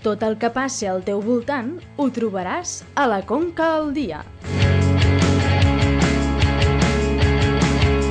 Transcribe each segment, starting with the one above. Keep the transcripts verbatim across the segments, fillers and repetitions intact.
Tot el que passi al teu voltant ho trobaràs a la Conca al Dia.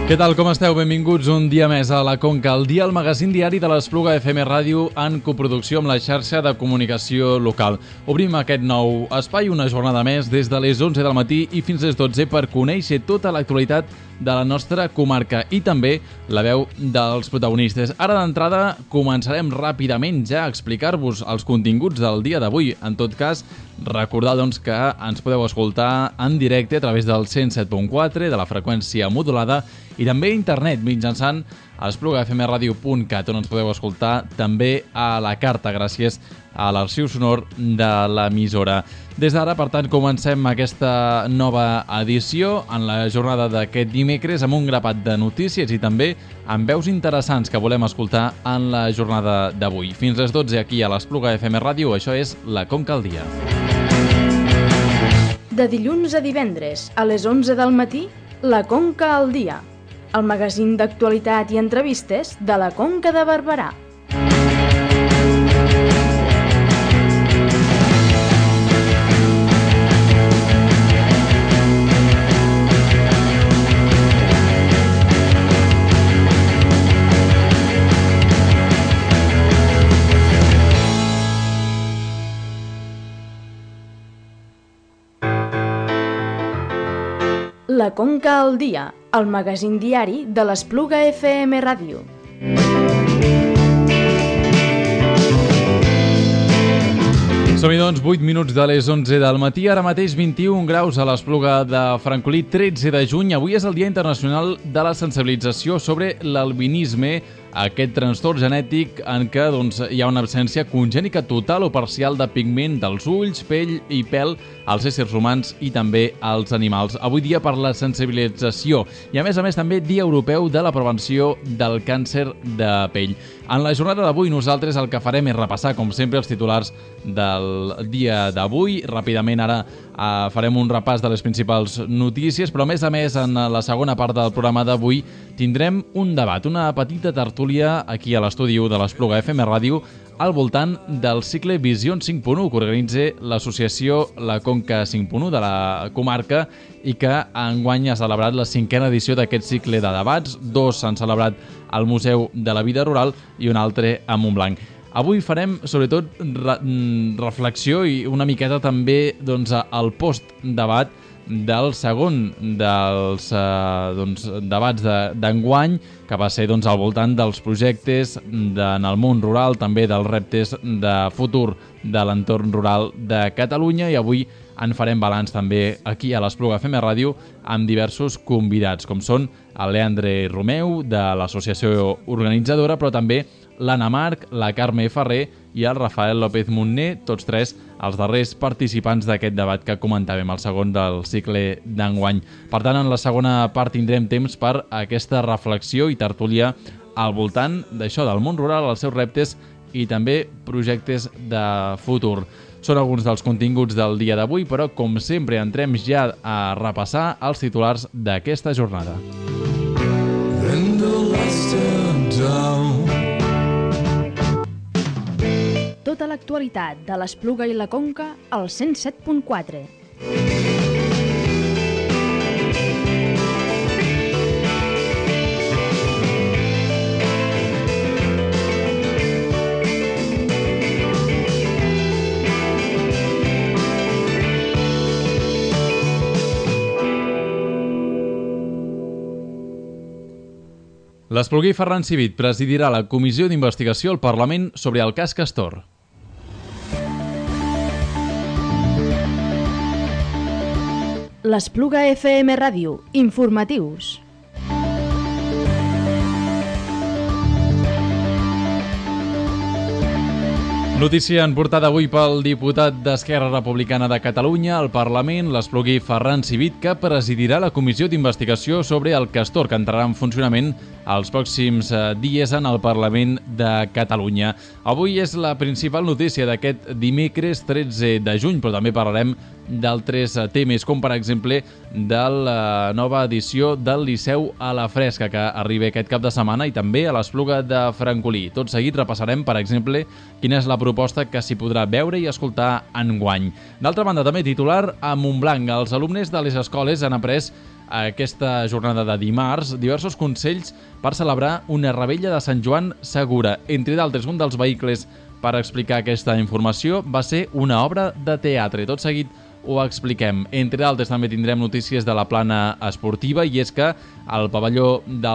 Què tal, com esteu? Benvinguts un dia més a la Conca al Dia, el magazín diari de l'Espluga F M Ràdio en coproducció amb la xarxa de comunicació local. Obrim aquest nou espai una jornada més des de les onze del matí i fins les dotze per conèixer tota l'actualitat de la nostra comarca i també la veu dels protagonistes. Ara d'entrada començarem ràpidament ja a explicar-vos els continguts del dia d'avui. En tot cas, recordar doncs, que ens podeu escoltar en directe a través del cent set punt quatre de la freqüència modulada i també a internet mitjançant espluga f m radio punt cat, on ens podeu escoltar també a la carta gràcies a l'arxiu sonor de l'emissora. Des d'ara, per tant, comencem aquesta nova edició en la jornada d'aquest dimecres amb un grapat de notícies i també amb veus interessants que volem escoltar en la jornada d'avui. Fins les dotze aquí a l'Espluga F M Ràdio, això és la Conca al Dia. De dilluns a divendres, a les onze del matí, la Conca al Dia, el magazín d'actualitat i entrevistes de la Conca de Barberà. La Conca al Dia, el magazín diari de l'Espluga F M Ràdio. Som-hi doncs, vuit minuts de les onze del matí, ara mateix vint-i-un graus a l'Espluga de Francolí, tretze de juny. Avui és el Dia Internacional de la Sensibilització sobre l'albinisme, aquest trastorn genètic en què doncs, hi ha una absència congènica total o parcial de pigment dels ulls, pell i pèl als éssers humans i també als animals. Avui dia per la sensibilització i a més a més també Dia Europeu de la Prevenció del Càncer de Pell. En la jornada d'avui nosaltres el que farem és repassar com sempre els titulars del dia d'avui. Ràpidament ara eh, farem un repàs de les principals notícies, però a més a més en la segona part del programa d'avui tindrem un debat, una petita tertúlia aquí a l'estudi de l'Espluga F M Ràdio al voltant del cicle Visions cinc punt u que organitza l'associació La Conca cinc punt u de la comarca i que enguany ha celebrat la cinquena edició d'aquest cicle de debats. Dos s'han celebrat al Museu de la Vida Rural i un altre a Montblanc. Avui farem sobretot re reflexió i una miqueta també doncs, el post-debat del segon dels eh, doncs, debats d'enguany, de, que va ser doncs, al voltant dels projectes de, en el món rural, també dels reptes de futur de l'entorn rural de Catalunya, i avui en farem balanç també aquí a l'Espluga F M Ràdio amb diversos convidats, com són el Leandre Romeu de l'associació organitzadora, però també l'Anna Marc, la Carme Ferrer i el Rafael López Montner, tots tres els darrers participants d'aquest debat que comentàvem, el segon del cicle d'enguany. Per tant, en la segona part tindrem temps per aquesta reflexió i tertúlia al voltant d'això, del món rural, els seus reptes i també projectes de futur. Són alguns dels continguts del dia d'avui, però com sempre entrem ja a repassar els titulars d'aquesta jornada. Tota l'actualitat de l'Espluga i la Conca al cent set punt quatre. L'espluguer Ferran Civit presidirà la comissió d'investigació al Parlament sobre el cas Castor. L'Espluga F M Ràdio, informatius. Notícia en portada avui pel diputat d'Esquerra Republicana de Catalunya al Parlament, l'espluguer Ferran Civit, que presidirà la comissió d'investigació sobre el Castor, que entrarà en funcionament els pròxims dies en el Parlament de Catalunya. Avui és la principal notícia d'aquest dimecres tretze de juny, però també parlarem d'altres temes, com per exemple de la nova edició del Liceu a la Fresca, que arriba aquest cap de setmana, i també a l'Espluga de Francolí. Tot seguit repassarem, per exemple, quina és la proposta que s'hi podrà veure i escoltar enguany. D'altra banda, també titular a Montblanc. Els alumnes de les escoles han après aquesta jornada de dimarts diversos consells per celebrar una revetlla de Sant Joan segura. Entre d'altres, un dels vehicles per explicar aquesta informació va ser una obra de teatre. Tot seguit ho expliquem. Entre d'altres, també tindrem notícies de la plana esportiva, i és que el pavelló de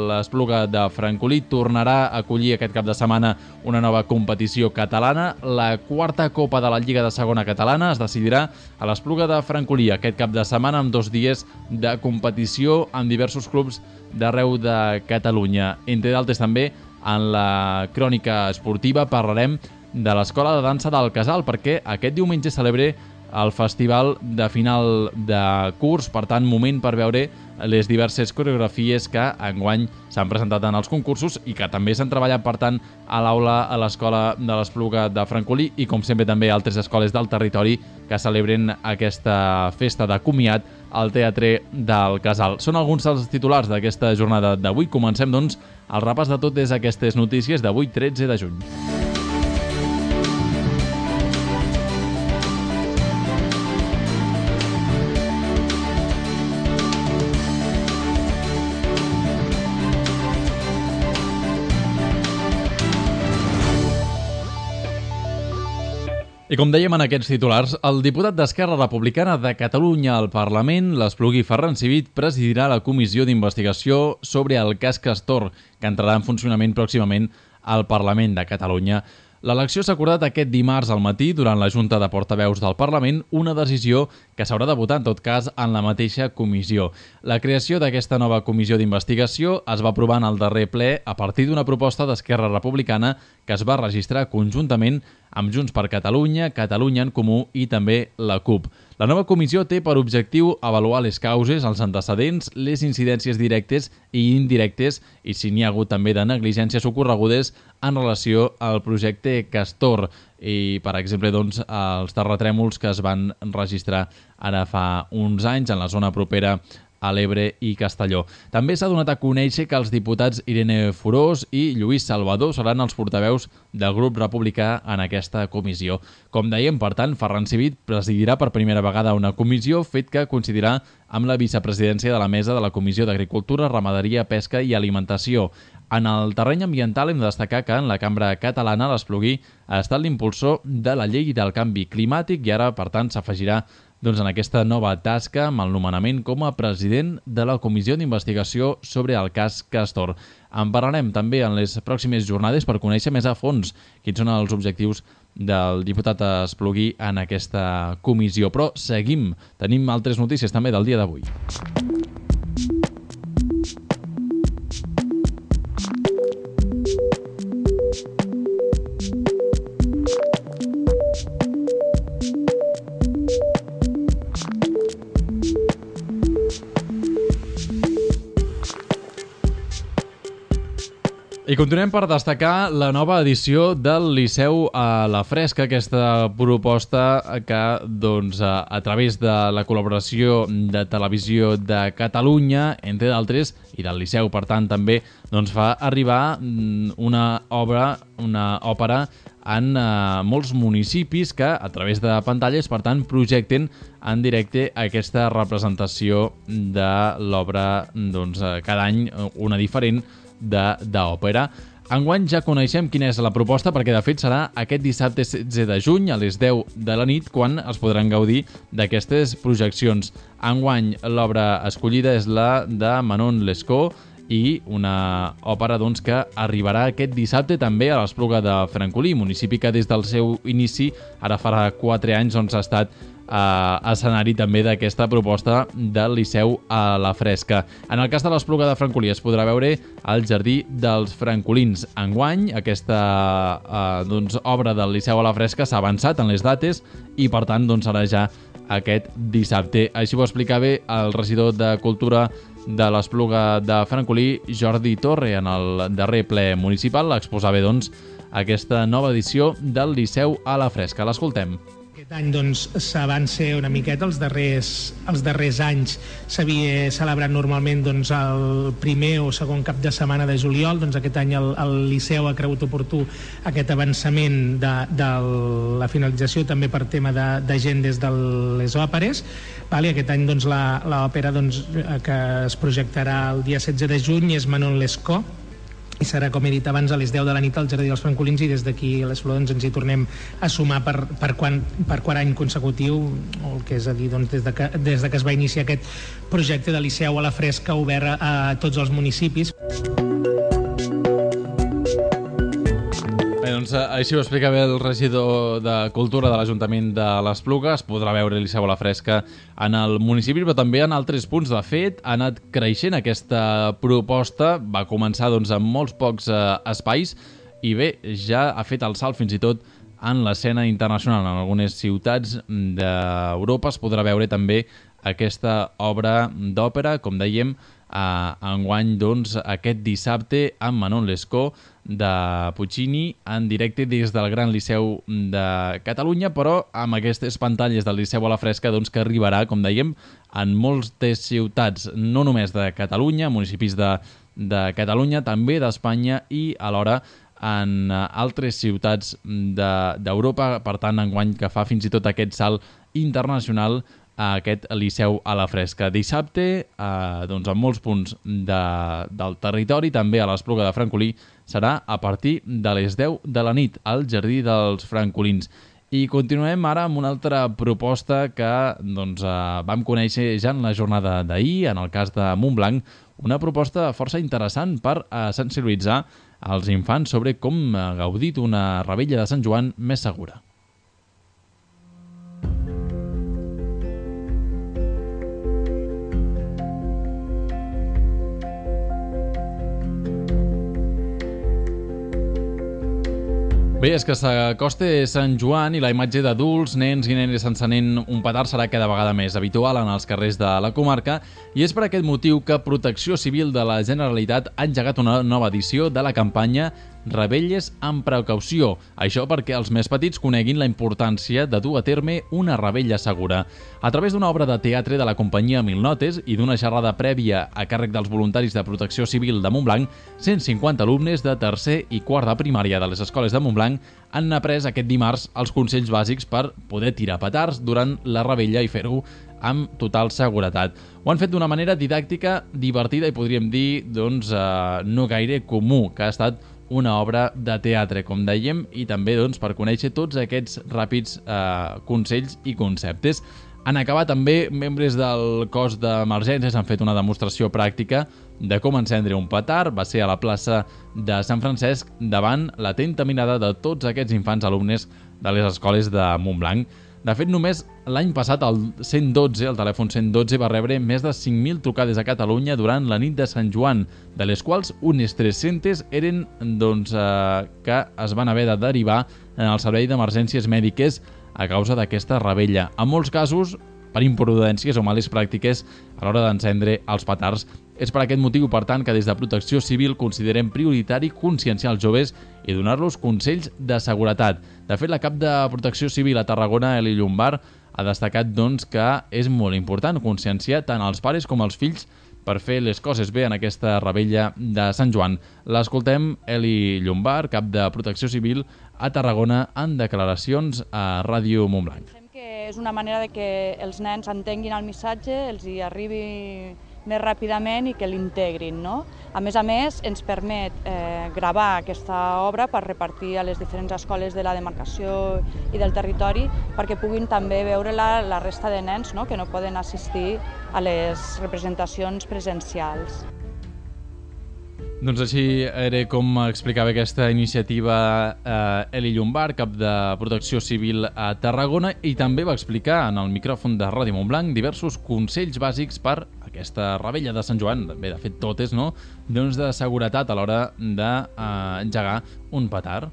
l'Espluga de Francolí tornarà a acollir aquest cap de setmana una nova competició catalana. La quarta Copa de la Lliga de Segona Catalana es decidirà a l'Espluga de Francolí aquest cap de setmana, amb dos dies de competició amb diversos clubs d'arreu de Catalunya. Entre d'altres, també en la crònica esportiva parlarem de l'Escola de Dansa del Casal, perquè aquest diumenge celebra el festival de final de curs, per tant, moment per veure les diverses coreografies que enguany s'han presentat en els concursos i que també s'han treballat, per tant, a l'aula a l'Escola de l'Espluga de Francolí, i com sempre també altres escoles del territori que celebren aquesta festa de comiat al Teatre del Casal. Són alguns dels titulars d'aquesta jornada d'avui. Comencem, doncs, el repàs de totes aquestes notícies d'avui, tretze de juny. I com dèiem en aquests titulars, el diputat d'Esquerra Republicana de Catalunya al Parlament, l'Espluguí Ferran Civit, presidirà la comissió d'investigació sobre el cas Castor, que entrarà en funcionament pròximament al Parlament de Catalunya. L'elecció s'ha acordat aquest dimarts al matí durant la Junta de Portaveus del Parlament, una decisió que s'haurà de votar, en tot cas, en la mateixa comissió. La creació d'aquesta nova comissió d'investigació es va aprovar en el darrer ple a partir d'una proposta d'Esquerra Republicana que es va registrar conjuntament amb Junts per Catalunya, Catalunya en Comú i també la CUP. La nova comissió té per objectiu avaluar les causes, els antecedents, les incidències directes i indirectes i si n'hi ha hagut també de negligències ocorregudes en relació al projecte Castor i, per exemple, doncs, els terratrèmols que es van registrar ara fa uns anys en la zona propera a l'Ebre i Castelló. També s'ha donat a conèixer que els diputats Irene Forós i Lluís Salvador seran els portaveus del grup republicà en aquesta comissió. Com dèiem, per tant, Ferran Civit presidirà per primera vegada una comissió, fet que coincidirà amb la vicepresidència de la mesa de la Comissió d'Agricultura, Ramaderia, Pesca i Alimentació. En el terreny ambiental hem de destacar que en la cambra catalana l'Espluguí ha estat l'impulsor de la llei del canvi climàtic i ara, per tant, s'afegirà doncs, en aquesta nova tasca amb el nomenament com a president de la Comissió d'Investigació sobre el cas Castor. En parlarem també en les pròximes jornades per conèixer més a fons quins són els objectius del diputat Espluguí en aquesta comissió. Però seguim, tenim altres notícies també del dia d'avui. I continuem per destacar la nova edició del Liceu a la Fresca, aquesta proposta que doncs, a, a través de la col·laboració de Televisió de Catalunya, entre d'altres, i del Liceu, per tant, també doncs, fa arribar una obra, una òpera en uh, molts municipis que, a través de pantalles, per tant, projecten en directe aquesta representació de l'obra, doncs, cada any una diferent, d'òpera. Enguany ja coneixem quina és la proposta perquè de fet serà aquest dissabte setze de juny a les deu de la nit quan es podran gaudir d'aquestes projeccions. Enguany l'obra escollida és la de Manon Lescaut i una òpera doncs, que arribarà aquest dissabte també a l'Espluga de Francolí, municipi que des del seu inici, ara farà quatre anys, doncs, ha estat Uh, escenari també d'aquesta proposta del Liceu a la Fresca. En el cas de l'Espluga de Francolí es podrà veure al Jardí dels Francolins. Enguany, aquesta uh, doncs, obra del Liceu a la Fresca s'ha avançat en les dates i per tant doncs, serà ja aquest dissabte. Així ho explicava el regidor de Cultura de l'Espluga de Francolí, Jordi Torre, en el darrer ple municipal. Exposava doncs, aquesta nova edició del Liceu a la Fresca. L'escoltem. Aquest any doncs, s'avança una miqueta, els darrers, els darrers anys s'havia celebrat normalment doncs, el primer o segon cap de setmana de juliol. Doncs aquest any el, el Liceu ha cregut oportú aquest avançament de, de la finalització també per tema d'agendes de, de les òperes. Vale, aquest any doncs, l'òpera doncs, que es projectarà el dia setze de juny és Manon Lescaut, i serà, com he dit abans, a les deu de la nit al Jardí dels Francolins, i des d'aquí a les Flors ens hi tornem a sumar per, per, quan, per quart any consecutiu, o el que és a dir, doncs, des, de que, des de que es va iniciar aquest projecte de Liceu a la Fresca obert a, a tots els municipis. Bé, doncs així ho explica bé el regidor de Cultura de l'Ajuntament de l'Espluga. Es podrà veure Liceu a la Fresca en el municipi, però també en altres punts. De fet, ha anat creixent aquesta proposta, va començar doncs, amb molts pocs eh, espais i bé, ja ha fet el salt fins i tot en l'escena internacional. En algunes ciutats d'Europa es podrà veure també aquesta obra d'òpera, com dèiem, Uh, enguany doncs, aquest dissabte amb Manon Lescaut de Puccini en directe des del Gran Liceu de Catalunya, però amb aquestes pantalles del Liceu a la Fresca doncs, que arribarà, com dèiem, en moltes ciutats, no només de Catalunya, municipis de, de Catalunya, també d'Espanya i alhora en altres ciutats d'Europa. Per tant, enguany que fa fins i tot aquest salt internacional a aquest Liceu a la Fresca. Dissabte, eh, doncs en molts punts de, del territori, també a l'Espluga de Francolí, serà a partir de les deu de la nit al Jardí dels Francolins. I continuem ara amb una altra proposta que doncs, eh, vam conèixer ja en la jornada d'ahir, en el cas de Montblanc, una proposta força interessant per eh, sensibilitzar els infants sobre com gaudir d'una revetlla de Sant Joan més segura. Bé, és que s'acosta Sant Joan i la imatge d'adults, nens i nenes encenent un petard serà cada vegada més habitual en els carrers de la comarca, i és per aquest motiu que Protecció Civil de la Generalitat ha engegat una nova edició de la campanya Revetlles amb precaució. Això perquè els més petits coneguin la importància de dur a terme una revetlla segura. A través d'una obra de teatre de la companyia Mil Notes i d'una xerrada prèvia a càrrec dels voluntaris de Protecció Civil de Montblanc, cent cinquanta alumnes de tercer i quart de primària de les escoles de Montblanc han après aquest dimarts els consells bàsics per poder tirar petards durant la revetlla i fer-ho amb total seguretat. Ho han fet d'una manera didàctica, divertida i podríem dir doncs, eh, no gaire comú, que ha estat una obra de teatre, com dèiem, i també doncs, per conèixer tots aquests ràpids eh, consells i conceptes. En acabar també, membres del cos d'emergències han fet una demostració pràctica de com encendre un petard. Va ser a la plaça de Sant Francesc davant l'atenta mirada de tots aquests infants alumnes de les escoles de Montblanc. De fet, només l'any passat el cent dotze, el telèfon cent dotze, va rebre més de cinc mil trucades a Catalunya durant la nit de Sant Joan, de les quals unes tres-centes eren doncs, eh, que es van haver de derivar en el servei d'emergències mèdiques a causa d'aquesta revetlla. En molts casos, per imprudències o males pràctiques a l'hora d'encendre els petards. És per aquest motiu, per tant, que des de Protecció Civil considerem prioritari conscienciar els joves i donar-los consells de seguretat. De fet, la cap de Protecció Civil a Tarragona, Eli Llombard, ha destacat doncs, que és molt important conscienciar tant els pares com els fills per fer les coses bé en aquesta revetlla de Sant Joan. L'escoltem, Eli Llombard, cap de Protecció Civil a Tarragona, en declaracions a Ràdio Montblanc. Pensem que és una manera de que els nens entenguin el missatge, els hi arribi més ràpidament i que l'integrin, no? A més a més, ens permet eh, gravar aquesta obra per repartir a les diferents escoles de la demarcació i del territori perquè puguin també veure-la la resta de nens, no?, que no poden assistir a les representacions presencials. Doncs així era com explicava aquesta iniciativa eh, Eli Llombard, cap de Protecció Civil a Tarragona, i també va explicar en el micròfon de Ràdio Montblanc diversos consells bàsics per aquesta revetlla de Sant Joan, bé, de fet totes, no?, doncs de seguretat a l'hora d'engegar eh, un petard.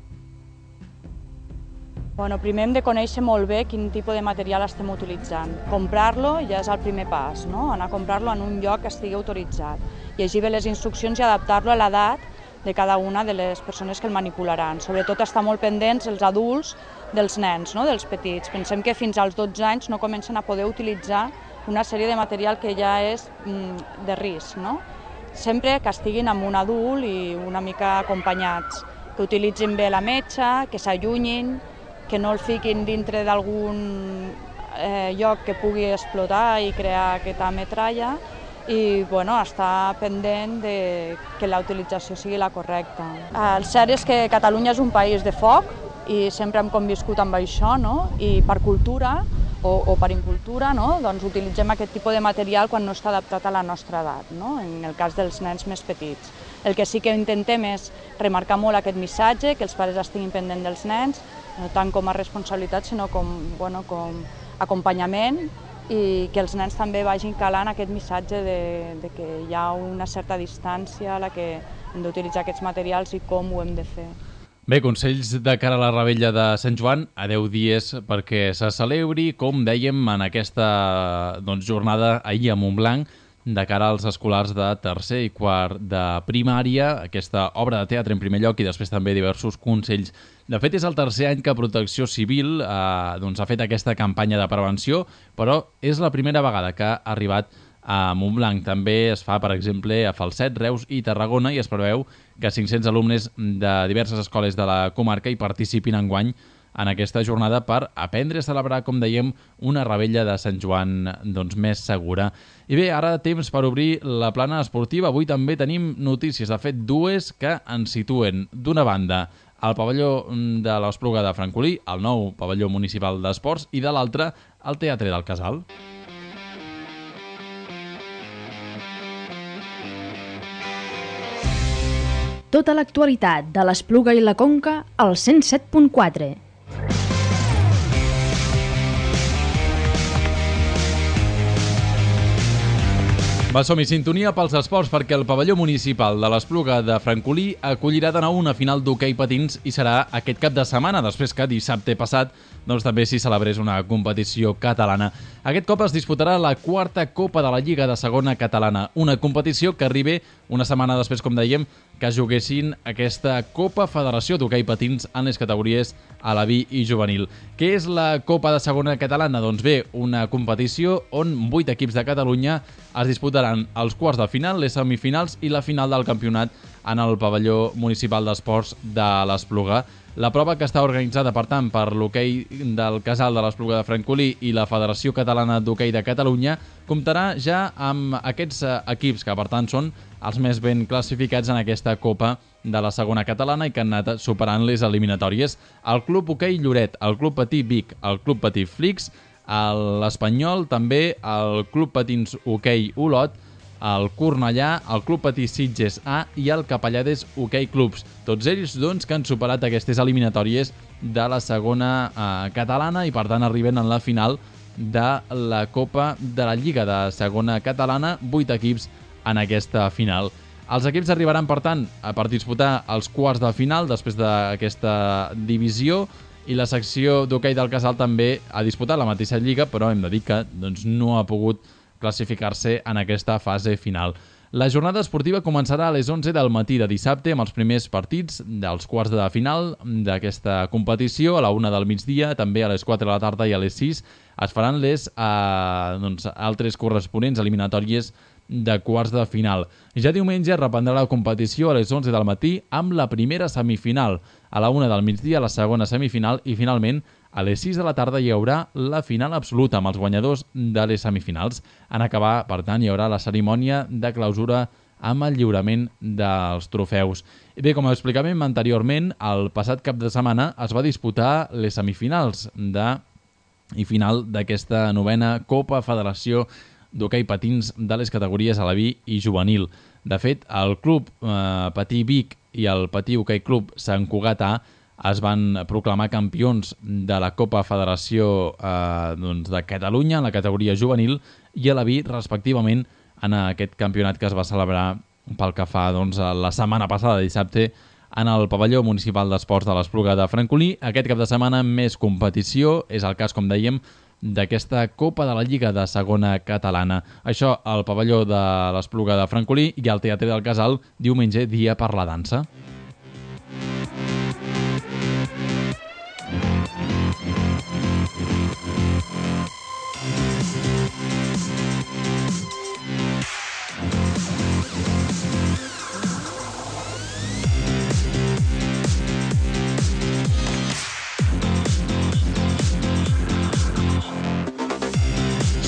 Bueno, primer hem de conèixer molt bé quin tipus de material estem utilitzant. Comprar-lo ja és el primer pas, no? Anar a comprar-lo en un lloc que estigui autoritzat. Llegir bé les instruccions i adaptar-lo a l'edat de cada una de les persones que el manipularan. Sobretot estar molt pendents els adults dels nens, no? Dels petits. Pensem que fins als dotze anys no comencen a poder utilitzar una sèrie de material que ja és mm, de risc, no? Sempre que estiguin amb un adult i una mica acompanyats, que utilitzin bé la metxa, que s'allunyin, que no el fiquin dintre d'algun eh, lloc que pugui explotar i crear aquesta metralla, i bueno, estar pendent de que la utilització sigui la correcta. El cert és que Catalunya és un país de foc i sempre hem conviscut amb això, no? I per cultura o, o per incultura, no? Doncs utilitzem aquest tipus de material quan no està adaptat a la nostra edat, no? En el cas dels nens més petits. El que sí que intentem és remarcar molt aquest missatge, que els pares estiguin pendents dels nens, no tant com a responsabilitat, sinó com, bueno, com acompanyament, i que els nens també vagin calant aquest missatge de, de que hi ha una certa distància a la que hem d'utilitzar aquests materials i com ho hem de fer. Bé, consells de cara a la Revetlla de Sant Joan, a deu dies perquè se celebri, com dèiem, en aquesta doncs, jornada ahir a Montblanc, de cara als escolars de tercer i quart de primària, aquesta obra de teatre en primer lloc i després també diversos consells. De fet, és el tercer any que Protecció Civil eh, doncs, ha fet aquesta campanya de prevenció, però és la primera vegada que ha arribat a Montblanc. També es fa, per exemple, a Falset, Reus i Tarragona, i es preveu que cinc-cents alumnes de diverses escoles de la comarca hi participin enguany en aquesta jornada per aprendre a celebrar, com dèiem, una Revetlla de Sant Joan doncs, més segura. I bé, ara temps per obrir la plana esportiva. Avui també tenim notícies, de fet, dues que ens situen, d'una banda, al pavelló de l'Espluga de Francolí, el nou pavelló municipal d'esports, i de l'altra, al Teatre del Casal. Tota l'actualitat de l'Espluga i la Conca al cent set punt quatre. Va, som-hi, sintonia pels esports, perquè el pavelló municipal de l'Espluga de Francolí acollirà de nou una final d'hoquei patins i serà aquest cap de setmana, després que dissabte passat doncs, també s'hi celebrés una competició catalana. Aquest cop es disputarà la quarta Copa de la Lliga de Segona Catalana, una competició que arriba una setmana després, com dèiem, que juguessin aquesta Copa Federació d'Hoquei Patins en les categories Alaví i Juvenil. Què és la Copa de Segona Catalana? Doncs bé, una competició on vuit equips de Catalunya es disputaran els quarts de final, les semifinals i la final del campionat en el pavelló municipal d'esports de l'Espluga. La prova, que està organitzada, per tant, per l'hoquei del Casal de l'Espluga de Francolí i la Federació Catalana d'Hoquei de Catalunya, comptarà ja amb aquests equips que, per tant, són els més ben classificats en aquesta Copa de la Segona Catalana i que han anat superant les eliminatòries. El Club Hoquei Lloret, el Club Patí Vic, el Club Patí Flix, l'Espanyol, també el Club Patins Hoquei Olot, el Cornellà, el Club Patí Sitges A i el Capellades Hoquei Clubs. Tots ells doncs, que han superat aquestes eliminatòries de la segona eh, catalana i per tant arriben en la final de la Copa de la Lliga de Segona Catalana, vuit equips en aquesta final. Els equips arribaran, per tant, per disputar els quarts de final després d'aquesta divisió, i la secció d'hoquei del Casal també ha disputat la mateixa lliga, però hem de dir que doncs, no ha pogut classificar-se en aquesta fase final. La jornada esportiva començarà a les onze del matí de dissabte amb els primers partits dels quarts de final d'aquesta competició. A la una del migdia, també a les quatre de la tarda i a les sis es faran les eh, doncs, altres corresponents eliminatòries de quarts de final. Ja diumenge reprendrà la competició a les onze del matí amb la primera semifinal. A la una del migdia la segona semifinal i finalment a les sis de la tarda hi haurà la final absoluta amb els guanyadors de les semifinals. En acabar, per tant, hi haurà la cerimònia de clausura amb el lliurament dels trofeus. Bé, com explicàvem anteriorment, el passat cap de setmana es va disputar les semifinals de i final d'aquesta novena Copa Federació d'Hoquei Patins de les categories Alaví i Juvenil. De fet, el Club eh, Patí Vic i el Patí Hoquei Club Sant Cugat A es van proclamar campions de la Copa Federació eh, doncs de Catalunya en la categoria juvenil i Alaví, respectivament, en aquest campionat que es va celebrar pel que fa doncs, la setmana passada, dissabte, en el pavelló municipal d'esports de l'Espluga de Francolí. Aquest cap de setmana més competició, és el cas, com dèiem, d'aquesta Copa de la Lliga de Segona Catalana. Això al pavelló de l'Espluga de Francolí i al Teatre del Casal, diumenge, dia per la dansa.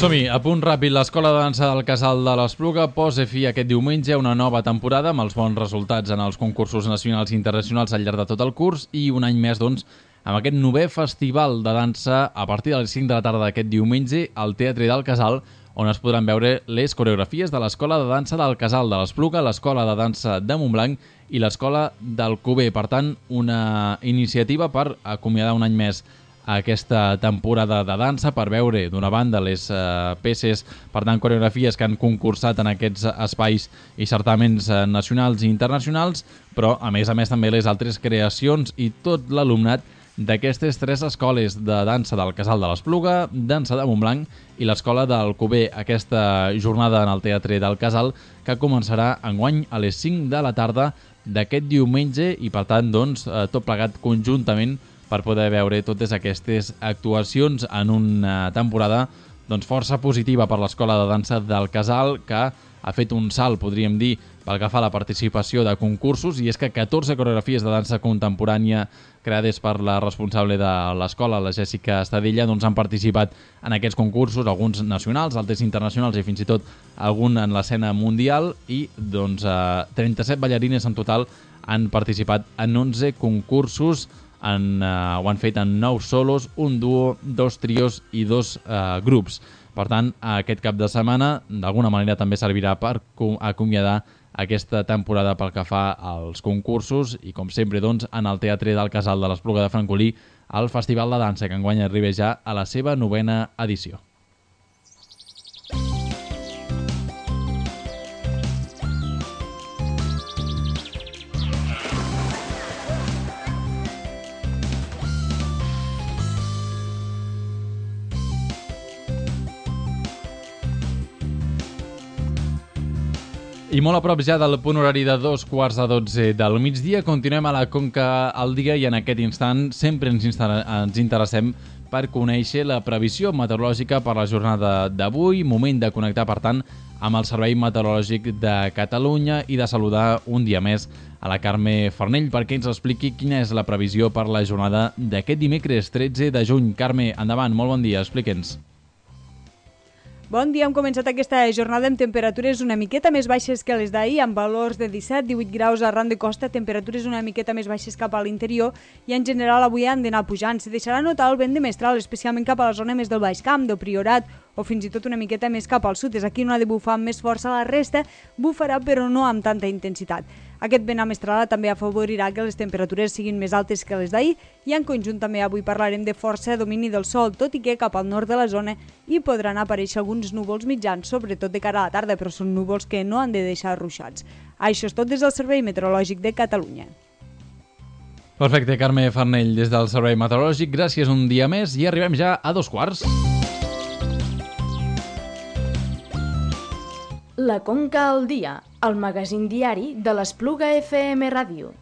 Som-hi, a punt ràpid, l'Escola de Dansa del Casal de l'Espluga posa fi aquest diumenge a una nova temporada amb els bons resultats en els concursos nacionals i internacionals al llarg de tot el curs i un any més, doncs, amb aquest novè festival de dansa a partir de les cinc de la tarda d'aquest diumenge al Teatre del Casal, on es podran veure les coreografies de l'Escola de Dansa del Casal de l'Espluga, l'Escola de Dansa de Montblanc i l'Escola d'Alcover. Per tant, una iniciativa per acomiadar un any més aquesta temporada de dansa, per veure d'una banda les eh, peces, per tant coreografies que han concursat en aquests espais i certaments eh, nacionals i internacionals, però a més a més també les altres creacions i tot l'alumnat d'aquestes tres escoles de dansa del Casal de l'Espluga, dansa de Montblanc i l'escola d'Alcover. Aquesta jornada en el Teatre del Casal que començarà enguany a les cinc de la tarda d'aquest diumenge i per tant doncs, eh, tot plegat conjuntament per poder veure totes aquestes actuacions en una temporada doncs, força positiva per l'Escola de Dansa del Casal, que ha fet un salt, podríem dir, pel que fa a la participació de concursos, i és que catorze coreografies de dansa contemporània creades per la responsable de l'escola, la Jèssica Estadella, doncs, han participat en aquests concursos, alguns nacionals, altres internacionals i fins i tot algun en l'escena mundial, i doncs, eh, trenta-set ballarines en total han participat en onze concursos. En, uh, ho han fet en nou solos, un duo, dos trios i dos uh, grups. Per tant, aquest cap de setmana d'alguna manera també servirà per acomiadar aquesta temporada pel que fa als concursos i, com sempre, doncs, en el Teatre del Casal de l'Espluga de Francolí, el Festival de Dansa, que enguany arriba ja a la seva novena edició. I molt a prop ja del punt horari de dos quarts de dotze del migdia, continuem a la Conca al dia i en aquest instant sempre ens, ens interessem per conèixer la previsió meteorològica per la jornada d'avui. Moment de connectar, per tant, amb el Servei Meteorològic de Catalunya i de saludar un dia més a la Carme Farnell perquè ens expliqui quina és la previsió per la jornada d'aquest dimecres tretze de juny. Carme, endavant, molt bon dia, explique'ns. Bon dia, hem començat aquesta jornada amb temperatures una miqueta més baixes que les d'ahir, amb valors de disset a divuit graus arran de costa, temperatures una miqueta més baixes cap a l'interior i en general avui han d'anar pujant. Se deixarà notar el vent de mestral, especialment cap a la zona més del Baix Camp, del Priorat o fins i tot una miqueta més cap al sud. És aquí on ha de bufar amb més força, la resta bufarà però no amb tanta intensitat. Aquest vent amestrala també afavorirà que les temperatures siguin més altes que les d'ahir i en conjunt també avui parlarem de força domini del sol, tot i que cap al nord de la zona hi podran aparèixer alguns núvols mitjans, sobretot de cara a la tarda, però són núvols que no han de deixar ruixats. Això és tot des del Servei Meteorològic de Catalunya. Perfecte, Carme Farnell, des del Servei Meteorològic. Gràcies un dia més i arribem ja a dos quarts. La Conca al dia, el magazín diari de l'Espluga F M Ràdio.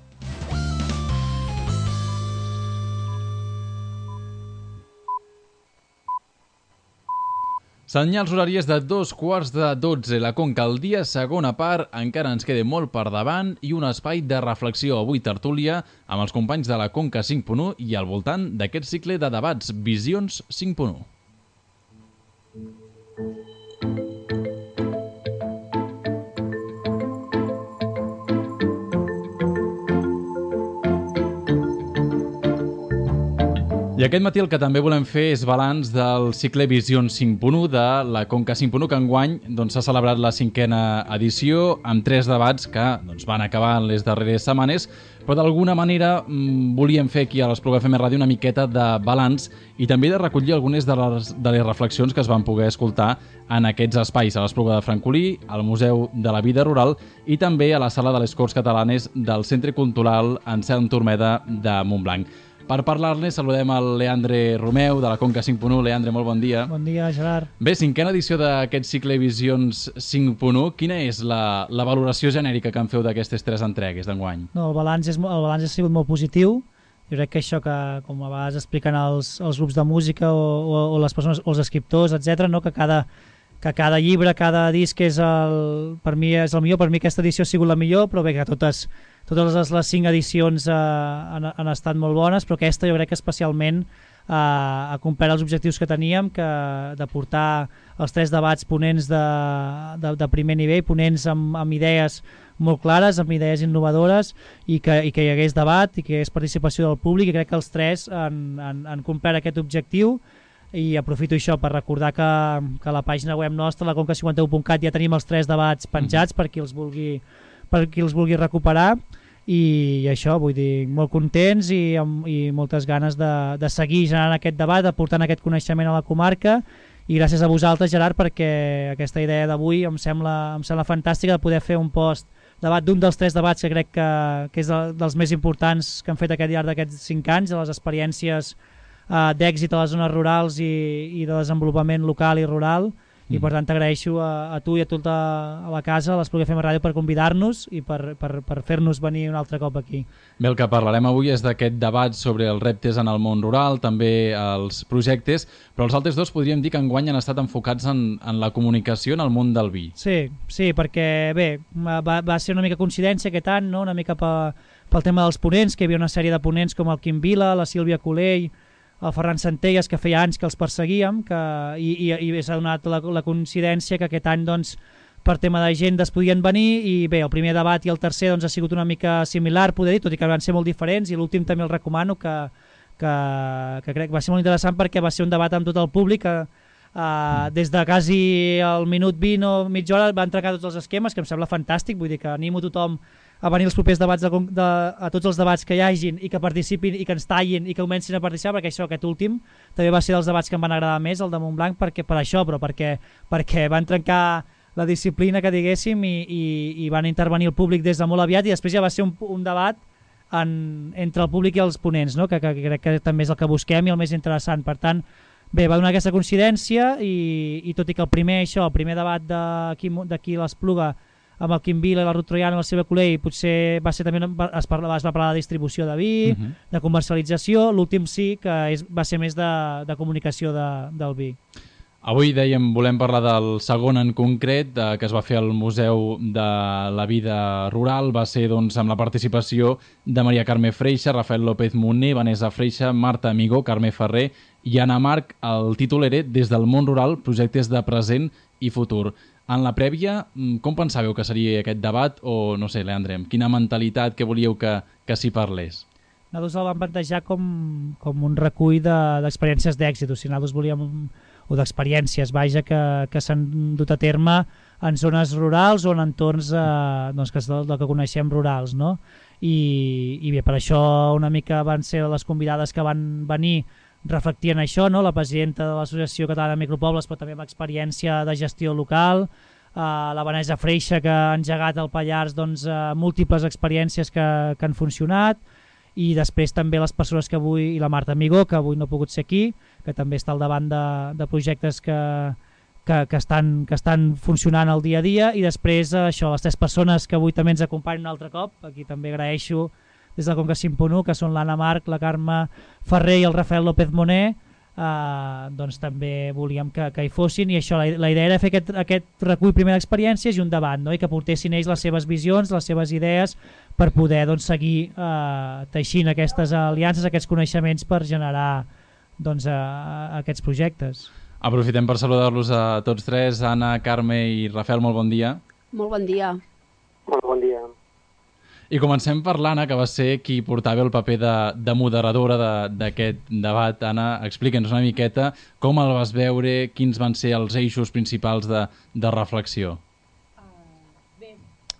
Senyals horàries de dos quarts de dotze. La Conca al dia, segona part, encara ens queda molt per davant i un espai de reflexió. Avui tertúlia amb els companys de la Conca cinc punt u i al voltant d'aquest cicle de debats Visions cinc punt u. I aquest matí el que també volem fer és balanç del cicle Visions cinc punt u de la Conca cinc punt u, que enguany doncs, s'ha celebrat la cinquena edició amb tres debats que doncs, van acabar en les darreres setmanes, però d'alguna manera mmm, volíem fer aquí a l'Espluga F M Ràdio una miqueta de balanç i també de recollir algunes de les, de les reflexions que es van poder escoltar en aquests espais, a l'Espluga de Francolí, al Museu de la Vida Rural i també a la Sala de les Corts Catalanes del Centre Cultural Anselm Turmeda de Montblanc. Per parlar-ne saludem el Leandre Romeu de la Conca cinc punt u. Leandre, molt bon dia. Bon dia, Gerard. Bé, cinquena edició d'aquest cicle Visions cinc punt u. Quina és la, la valoració genèrica que en feu d'aquestes tres entregues d'enguany? No, el balanç, és, el balanç ha sigut molt positiu. Jo crec que això que, com a vegades expliquen els, els grups de música o, o, o les persones, o els escriptors, etcètera, no? que, cada, que cada llibre, cada disc és el, per mi és el millor. Per mi aquesta edició ha sigut la millor, però bé que totes... Totes les, les cinc edicions eh, han, han estat molt bones, però aquesta jo crec que especialment eh, ha complert els objectius que teníem, que de portar els tres debats ponents de, de, de primer nivell, ponents amb, amb idees molt clares, amb idees innovadores, i que, i que hi hagués debat i que hi hagués participació del públic, i crec que els tres han, han, han complert aquest objectiu. I aprofito això per recordar que, que a la pàgina web nostra, la conca cinquanta u punt cat, ja tenim els tres debats penjats per qui els vulgui per qui els vulgui recuperar, i això, vull dir, molt contents i, amb, i moltes ganes de, de seguir generant aquest debat, aportant aquest coneixement a la comarca, i gràcies a vosaltres, Gerard, perquè aquesta idea d'avui em sembla, em sembla fantàstica, de poder fer un post debat d'un dels tres debats que crec que, que és de, dels més importants que han fet aquest llarg d'aquests cinc anys, de les experiències eh, d'èxit a les zones rurals i, i de desenvolupament local i rural. I per tant t'agraeixo a, a tu i a tota a la casa, a l'Espluga F M Ràdio, per convidar-nos i per, per, per fer-nos venir un altre cop aquí. Bé, el que parlarem avui és d'aquest debat sobre els reptes en el món rural, també els projectes, però els altres dos podríem dir que enguany han estat enfocats en, en la comunicació en el món del vi. Sí, sí, perquè bé, va, va ser una mica coincidència aquest any, no? Una mica pel, pel tema dels ponents, que hi havia una sèrie de ponents com el Quim Vila, la Sílvia Colell, el Ferran Centelles, que feia anys que els perseguíem, que, i, i, i s'ha donat la, la coincidència que aquest any, doncs, per tema d'agendes podien venir, i bé, el primer debat i el tercer doncs, ha sigut una mica similar, poder dir, tot i que van ser molt diferents, i l'últim també el recomano, que, que, que crec que va ser molt interessant perquè va ser un debat amb tot el públic, que uh, des de quasi el minut vint o mitja hora van trencar tots els esquemes, que em sembla fantàstic, vull dir que animo tothom a venir als propers debats, de, de, a tots els debats que hi hagin, i que participin i que ens tallin i que comencin a participar, perquè això, aquest últim també va ser dels debats que em van agradar més, el de Montblanc, perquè, per això, però perquè, perquè van trencar la disciplina, que diguéssim, i, i, i van intervenir el públic des de molt aviat, i després ja va ser un, un debat en, entre el públic i els ponents, no? que, que, que crec que també és el que busquem i el més interessant. Per tant, bé, va donar aquesta coincidència, i, i tot i que el primer, això, el primer debat d'aquí l'Espluga, amb el Quim Vila i la Ruth Troiano i la Sílvia Colell, potser va ser també, es, parla, es va parlar de distribució de vi, uh -huh. de comercialització, l'últim sí que és, va ser més de, de comunicació de, del vi. Avui, dèiem, volem parlar del segon en concret, eh, que es va fer al Museu de la Vida Rural. Va ser, doncs, amb la participació de Maria Carme Freixa, Rafael López Moner, Vanessa Freixa, Marta Amigó, Carme Ferrer i Anna Marc. El títol era Des del món rural, projectes de present i futur. En la prèvia, com pensàveu que seria aquest debat? O, no sé, Leandre, amb quina mentalitat que volíeu que, que s'hi parlés? Nosaltres el vam plantejar com, com un recull d'experiències de, d'èxit, o sigui, nosaltres volíem, o d'experiències, vaja, que, que s'han dut a terme en zones rurals o en entorns eh, doncs, que és del, del que coneixem rurals, no? I, i bé, per això una mica van ser les convidades que van venir reflectien això, no? La presidenta de l'Associació Catalana de Micropobles, però també amb experiència de gestió local, uh, la Vanessa Freixa, que ha engegat al Pallars doncs, uh, múltiples experiències que, que han funcionat, i després també les persones que avui, i la Marta Amigó, que avui no ha pogut ser aquí, que també està al davant de, de projectes que, que, que, estan, que estan funcionant al dia a dia, i després uh, això, les tres persones que avui també ens acompanyen un altre cop, aquí també agraeixo des de Conca cinc punt u, que són l'Anna Marc, la Carme Ferrer i el Rafael López Moner, eh, doncs també volíem que, que hi fossin, i això, la, la idea era fer aquest, aquest recull primer d'experiències i un debat, no? I que portessin ells les seves visions, les seves idees, per poder doncs, seguir eh, teixint aquestes aliances, aquests coneixements per generar doncs, eh, aquests projectes. Aprofitem per saludar-los a tots tres. Anna, Carme i Rafael, molt bon dia. Molt bon dia. Molt bon dia. I comencem per l'Anna, que va ser qui portava el paper de, de moderadora d'aquest de, debat. Anna, explica'ns una miqueta com el vas veure, quins van ser els eixos principals de, de reflexió.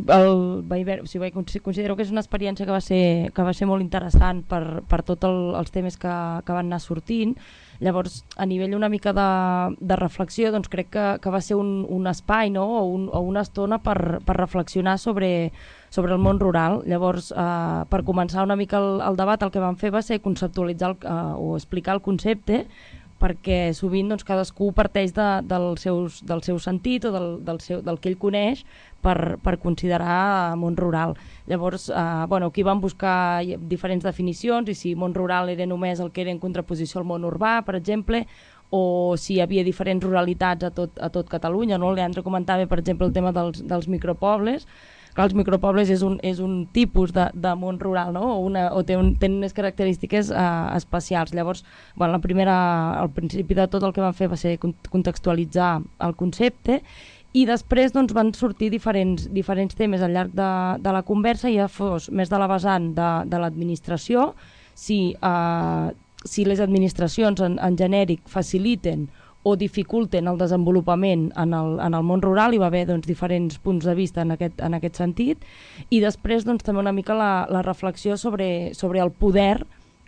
El, vaig veure, o sigui, considero que és una experiència que va ser, que va ser molt interessant per, per tots el, els temes que, que van anar sortint. Llavors, a nivell una mica de, de reflexió, doncs crec que, que va ser un, un espai, no? o, un, o una estona per, per reflexionar sobre, sobre el món rural. Llavors, eh, per començar una mica el, el debat, el que vam fer va ser conceptualitzar el, eh, o explicar el concepte, perquè sovint doncs, cadascú parteix de, del, seus, del seu sentit o del, del, seu, del que ell coneix per, per considerar món rural. Llavors, eh, bueno, aquí vam buscar diferents definicions i si món rural era només el que era en contraposició al món urbà, per exemple, o si hi havia diferents ruralitats a tot, a tot Catalunya. No? El Leandre comentava, per exemple, el tema dels, dels micropobles. Clar, els micropobles és un, és un tipus de, de món rural, no? o, una, o té un, tenen unes característiques uh, especials. Llavors, bueno, la primera, al principi de tot el que vam fer va ser contextualitzar el concepte i després doncs, van sortir diferents, diferents temes al llarg de, de la conversa, ja fos més de la vessant de, de l'administració, si, uh, si les administracions en, en genèric faciliten o dificulten el desenvolupament en el, en el món rural, hi va haver doncs, diferents punts de vista en aquest, en aquest sentit, i després doncs, també una mica la, la reflexió sobre, sobre el poder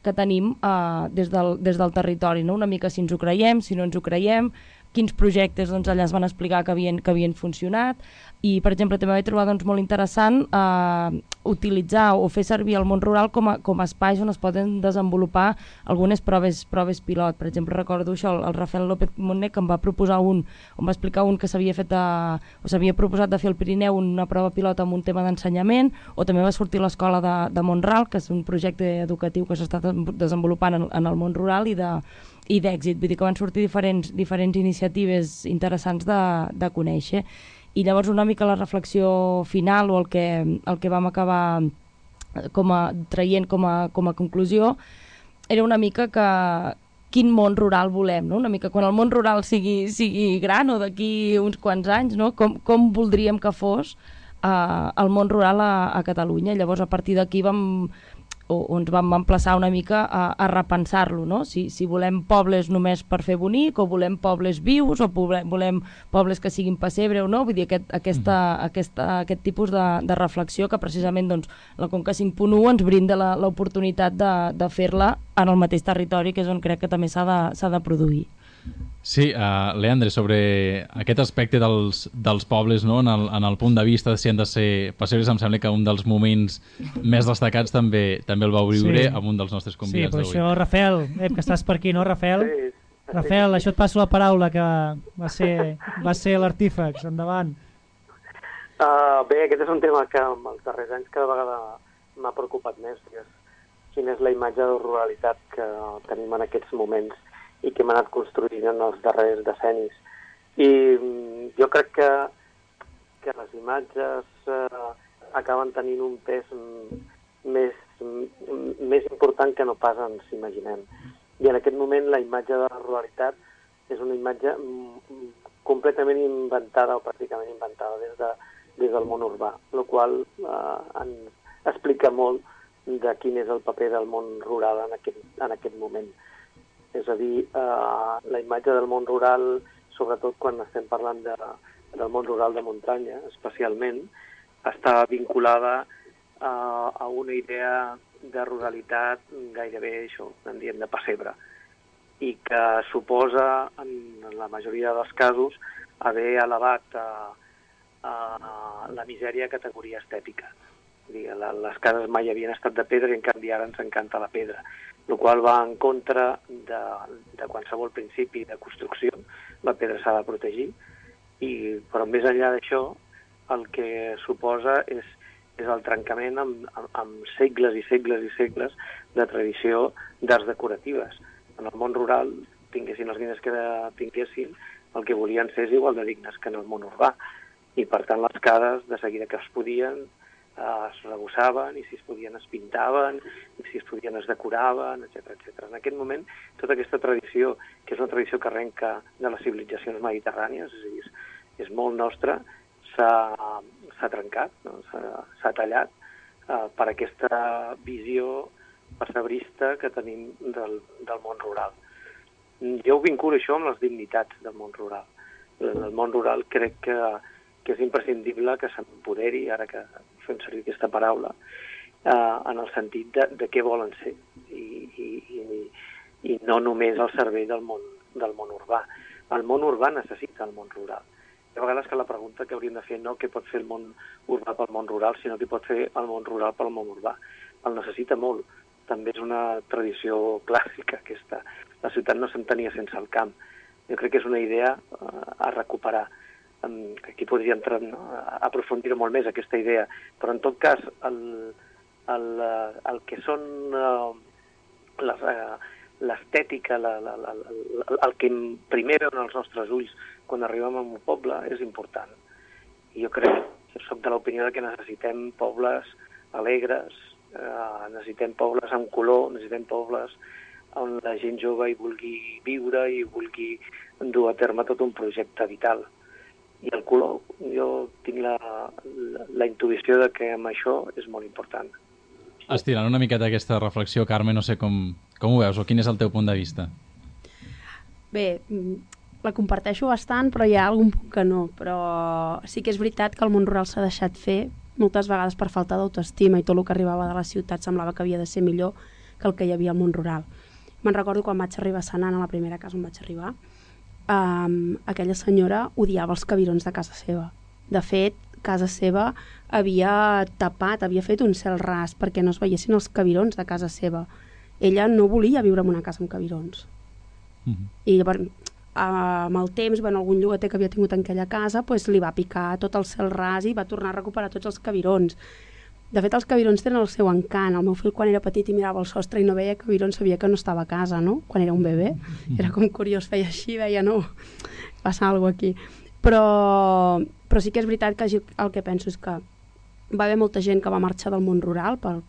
que tenim eh, des, del, des del territori, no? Una mica si ens ho creiem, si no ens ho creiem, quins projectes doncs, allà es van explicar que havien, que havien funcionat, i per exemple també vaig trobar doncs, molt interessant eh, utilitzar o fer servir el món rural com a, com a espais on es poden desenvolupar algunes proves, proves pilot. Per exemple, recordo això, el, el Rafael López Montner, que em va proposar un, em va explicar un que s'havia fet a, o s'havia proposat de fer al Pirineu una prova pilot amb un tema d'ensenyament, o també va sortir l'escola de, de Montral, que és un projecte educatiu que s'està desenvolupant en, en el món rural i de i d'èxit, vull dir que van sortir diferents, diferents iniciatives interessants de, de conèixer. I llavors una mica la reflexió final o el que, el que vam acabar com a, traient com a, com a conclusió era una mica que quin món rural volem, no? Una mica quan el món rural sigui, sigui gran o d'aquí uns quants anys, no? com, com voldríem que fos uh, el món rural a, a Catalunya. Llavors a partir d'aquí vam o, o ens vam emplaçar una mica a, a repensar-lo, no? Si, si volem pobles només per fer bonic, o volem pobles vius, o volem, volem pobles que siguin pessebre o no, vull dir, aquest, aquesta, mm. aquesta, aquest tipus de, de reflexió que precisament doncs, la Conca cinc punt u ens brinda l'oportunitat de, de fer-la en el mateix territori, que és on crec que també s'ha de, s'ha de produir. Sí, uh, Leandre, sobre aquest aspecte dels, dels pobles, no? en, el, en el punt de vista de si han de ser pessebres, em sembla que un dels moments més destacats també també el vau viure sí. amb un dels nostres convidats d'avui. Sí, però això, Rafael, eh, que estàs per aquí, no, Rafael? Sí. Rafael, sí. Això et passo la paraula, que va ser, va ser l'artífex. Endavant. Uh, bé, aquest és un tema que en els darrers anys cada vegada m'ha preocupat més, que és quina és la imatge de ruralitat que tenim en aquests moments i que hem anat construint en els darrers decennis. I jo crec que, que les imatges eh, acaben tenint un pes més, més important que no pas ens imaginem. I en aquest moment la imatge de la ruralitat és una imatge completament inventada o pràcticament inventada des, de, des del món urbà, el qual eh, ens explica molt de quin és el paper del món rural en aquest, en aquest moment. És a dir, eh, la imatge del món rural, sobretot quan estem parlant de, del món rural de muntanya, especialment, està vinculada eh, a una idea de ruralitat gairebé, això, en diem de pessebre, i que suposa, en la majoria dels casos, haver elevat a, a la misèria a categoria estètica. Les cases mai havien estat de pedra i en canvi ara ens encanta la pedra, el qual va en contra de, de qualsevol principi de construcció. La pedra s'ha de protegir, i, però més enllà d'això el que suposa és, és el trencament amb, amb, amb segles i segles i segles de tradició d'arts decoratives. En el món rural, tinguessin els diners que tinguessin, el que volien ser és igual de dignes que en el món urbà, i per tant les cases de seguida que es podien es rebossaven, i si es podien es pintaven, i si es podien es decoraven, etcètera, etcètera. En aquest moment, tota aquesta tradició, que és una tradició que arrenca de les civilitzacions mediterrànies, és a dir, és, és molt nostra, s'ha trencat, no? s'ha tallat eh, per aquesta visió pessebrista que tenim del, del món rural. Jo ho vinculo això amb les dignitats del món rural. El món rural crec que, que és imprescindible que s'empoderi, ara que fem servir aquesta paraula, eh, en el sentit de, de què volen ser, i, i, i, i no només al servei del món, del món urbà. El món urbà necessita el món rural, a vegades que la pregunta que hauríem de fer no què pot fer el món urbà pel món rural, sinó què pot fer el món rural pel món urbà. El necessita molt. També és una tradició clàssica aquesta. La ciutat no s'entenia sense el camp. Jo crec que és una idea a recuperar. Aquí podria entrar, no? a aprofundir molt més aquesta idea, però en tot cas el, el, el que són l'estètica, la, la, la, la, el que primer veuen els nostres ulls quan arribem a un poble és important. I jo crec, soc de l'opinió que necessitem pobles alegres, eh, necessitem pobles amb color, necessitem pobles on la gent jove hi vulgui viure i vulgui dur a terme tot un projecte vital. I el color, jo tinc la, la, la intuïció de que amb això és molt important. Estirant una miqueta aquesta reflexió, Carme, no sé com, com ho veus o quin és el teu punt de vista? Bé, la comparteixo bastant, però hi ha algun punt que no. Però sí que és veritat que el món rural s'ha deixat fer moltes vegades per falta d'autoestima i tot el que arribava de la ciutat semblava que havia de ser millor que el que hi havia al món rural. Me'n recordo quan vaig arribar a Senan, a la primera casa on vaig arribar, Um, aquella senyora odiava els cabirons de casa seva. De fet, casa seva havia tapat, havia fet un cel ras perquè no es veiessin els cabirons de casa seva. Ella no volia viure en una casa amb cabirons. Mm-hmm. I llavors, amb el temps, bueno, algun llogater que havia tingut en aquella casa, pues, li va picar tot el cel ras i va tornar a recuperar tots els cabirons. De fet, els cabirons tenen el seu encant. El meu fill, quan era petit i mirava el sostre i no veia cabirons, sabia que no estava a casa, no? Quan era un bebè. Era com curiós, feia així, veia, no, passa alguna cosa aquí. Però, però sí que és veritat que el que penso és que va haver molta gent que va marxar del món rural per,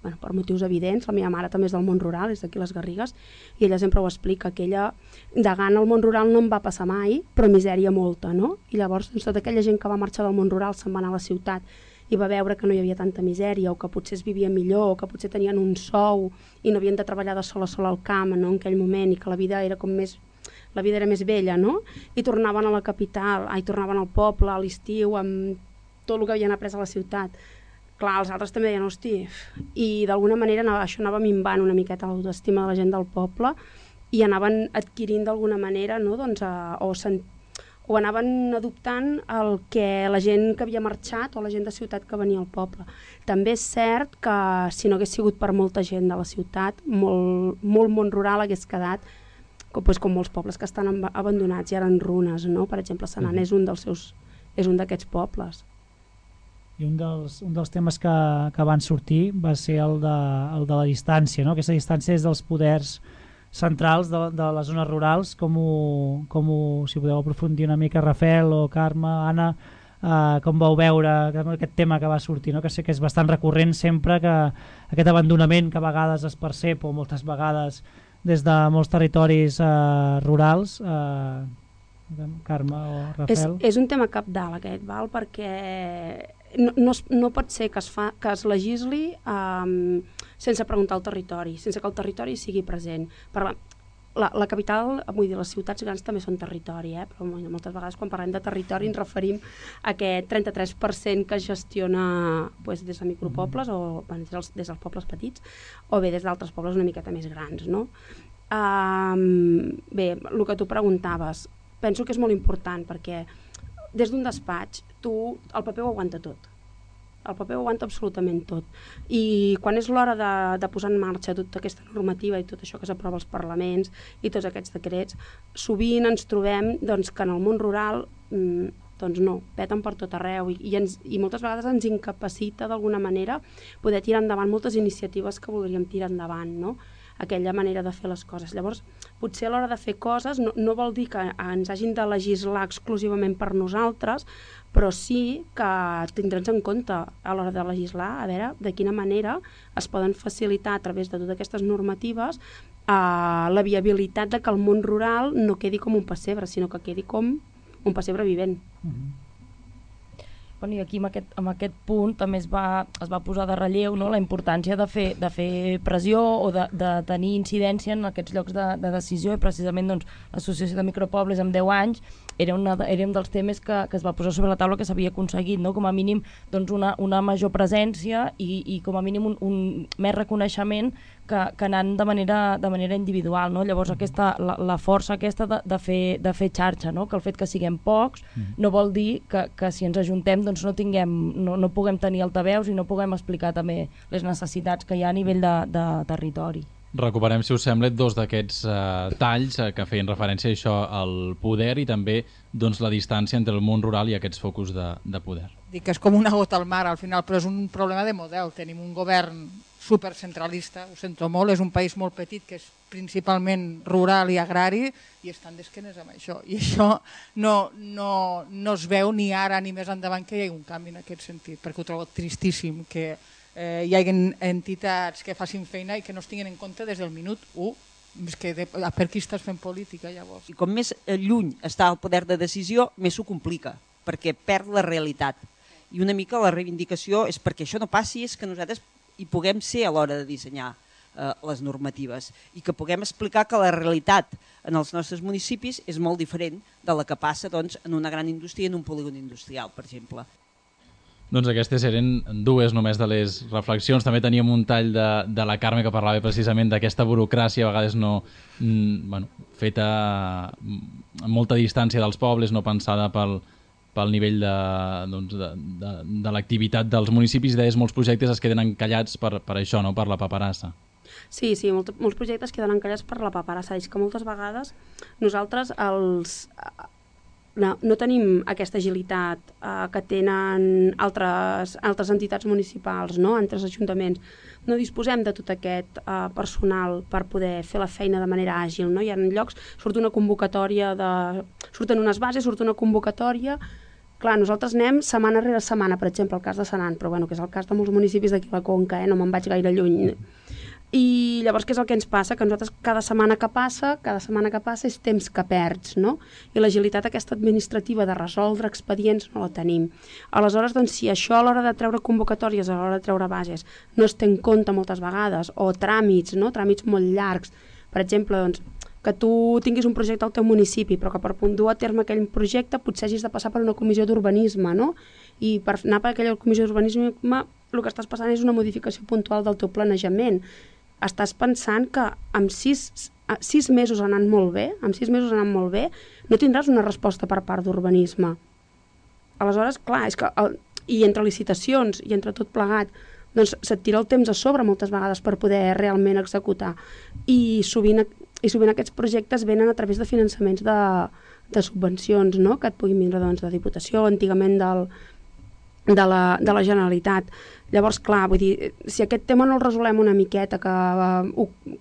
bueno, per motius evidents. La meva mare també és del món rural, és d'aquí les Garrigues, i ella sempre ho explica, que ella de gana al món rural no en va passar mai, però misèria molta, no? I llavors, doncs, tota aquella gent que va marxar del món rural se'n va anar a la ciutat i va veure que no hi havia tanta misèria o que potser es vivia millor o que potser tenien un sou i no havien de treballar de sol a sol al camp, no, en aquell moment, i que la vida era com més la vida era més bella, no? I tornaven a la capital, ai, tornaven al poble a l'estiu amb tot el que havien après a la ciutat. Clar, els altres també deien, hosti, i d'alguna manera anava, això anava minvant una miqueta l'autoestima de la gent del poble i anaven adquirint d'alguna manera, no? Doncs, a, o sent o anaven adoptant el que la gent que havia marxat o la gent de ciutat que venia al poble. També és cert que si no hagués sigut per molta gent de la ciutat, molt, molt món rural hagués quedat com, doncs, com molts pobles que estan abandonats i ara en runes, no? Per exemple, Senan és un dels seus, és un d'aquests pobles. I un dels, un dels temes que, que van sortir va ser el de, el de la distància, no? Aquesta distància és dels poders centrals de, de les zones rurals, com ho, com ho, si podeu aprofundir una mica, Rafael o Carme, Anna, eh, com vau veure aquest tema que va sortir, no? Que sé que és bastant recurrent sempre, que aquest abandonament que a vegades es percep, o moltes vegades des de molts territoris eh, rurals, eh, Carme o Rafael. És, és un tema cabdal aquest, val? Perquè no, no, no pot ser que es, fa, que es legisli eh, sense preguntar al territori, sense que el territori sigui present. Per la, la, la capital, vull dir, les ciutats grans també són territori, eh? Però moltes vegades quan parlem de territori ens referim a aquest trenta-tres per cent que es gestiona pues, des de micropobles o bueno, des, dels, des dels pobles petits o bé des d'altres pobles una miqueta més grans, no? Um, bé, el que tu preguntaves, penso que és molt important perquè des d'un despatx tu el paper ho aguanta tot. El paper ho aguanta absolutament tot. I quan és l'hora de, de posar en marxa tota aquesta normativa i tot això que s'aprova als parlaments i tots aquests decrets, sovint ens trobem doncs, que en el món rural mmm, doncs no, peten per tot arreu i, i, ens, i moltes vegades ens incapacita d'alguna manera poder tirar endavant moltes iniciatives que voldríem tirar endavant, no? Aquella manera de fer les coses. Llavors, potser a l'hora de fer coses no, no vol dir que ens hagin de legislar exclusivament per nosaltres, però sí que tindre'ns en compte a l'hora de legislar, a veure de quina manera es poden facilitar a través de totes aquestes normatives eh, la viabilitat de que el món rural no quedi com un pessebre, sinó que quedi com un pessebre vivent. Mm-hmm. Bueno, i aquí amb aquest, amb aquest punt també es va, es va posar de relleu, no?, la importància de fer, de fer pressió o de, de tenir incidència en aquests llocs de, de decisió, i precisament doncs, l'Associació de Micropobles amb deu anys era, una, era un dels temes que, que es va posar sobre la taula que s'havia aconseguit, no?, com a mínim doncs, una, una major presència i, i com a mínim un, un més reconeixement que, que anant de manera, de manera individual, no? Llavors aquesta, la, la força aquesta de, de, fer, de fer xarxa, no? Que el fet que siguem pocs no vol dir que, que si ens ajuntem doncs no, tinguem, no, no puguem tenir altaveus i no puguem explicar també les necessitats que hi ha a nivell de, de territori. Recuperem, si us sembla, dos d'aquests eh, talls eh, que feien referència a això, al poder i també doncs, la distància entre el món rural i aquests focus de, de poder. Dic que és com una gota al mar al final, però és un problema de model. Tenim un govern supercentralista, ho sento molt, és un país molt petit que és principalment rural i agrari i estan d'esquenes amb això. I això no, no, no es veu ni ara ni més endavant que hi hagi un canvi en aquest sentit, perquè ho trobo tristíssim que Eh, hi hagi entitats que facin feina i que no es tinguin en compte des del minut u. És que de, per qui estàs fent política, llavors? I com més lluny està el poder de decisió, més s'ho complica, perquè perd la realitat. I una mica la reivindicació és perquè això no passi, és que nosaltres hi puguem ser a l'hora de dissenyar eh, les normatives i que puguem explicar que la realitat en els nostres municipis és molt diferent de la que passa doncs, en una gran indústria, en un polígon industrial, per exemple. Doncs aquestes eren dues només de les reflexions. També teníem un tall de, de la Carme que parlava precisament d'aquesta burocràcia, a vegades no, mm, bueno, feta amb molta distància dels pobles, no pensada pel, pel nivell de, doncs, de, de, de l'activitat dels municipis. Deies, molts projectes es queden encallats per, per això, no? Per la paperassa. Sí, sí, molt, molts projectes queden encallats per la paperassa. És que moltes vegades nosaltres els... No, no tenim aquesta agilitat eh, que tenen altres, altres entitats municipals, no? Altres ajuntaments. No disposem de tot aquest eh, personal per poder fer la feina de manera àgil. No? Hi ha llocs, surt una convocatòria, de... surten unes bases, surt una convocatòria. Clar, nosaltres anem setmana rere setmana, per exemple, el cas de Senan, però bueno, que és el cas de molts municipis d'aquí a la Conca, eh? No me'n vaig gaire lluny. I llavors què és el que ens passa? Que nosaltres cada setmana que passa, cada setmana que passa és temps que perds, no? I l'agilitat aquesta administrativa de resoldre expedients no la tenim. Aleshores, doncs, si això a l'hora de treure convocatòries, a l'hora de treure bases, no es té en compte moltes vegades, o tràmits, no? Tràmits molt llargs, per exemple, doncs, que tu tinguis un projecte al teu municipi, però que per dur a terme aquell projecte potser hagis de passar per una comissió d'urbanisme, no? I per anar per aquella comissió d'urbanisme el que estàs passant és una modificació puntual del teu planejament. Estàs pensant que amb sis, sis mesos anant molt bé, amb sis mesos anant molt bé, no tindràs una resposta per part d'urbanisme. Aleshores, clar, és que el, i entre licitacions i entre tot plegat, doncs se't tira el temps a sobre moltes vegades per poder realment executar. I sovint, i sovint aquests projectes venen a través de finançaments de, de subvencions, no? Que et puguin vindre doncs, de Diputació, antigament del, de, la, de la Generalitat. Llavors, clar, vull dir, si aquest tema no el resolem una miqueta, que,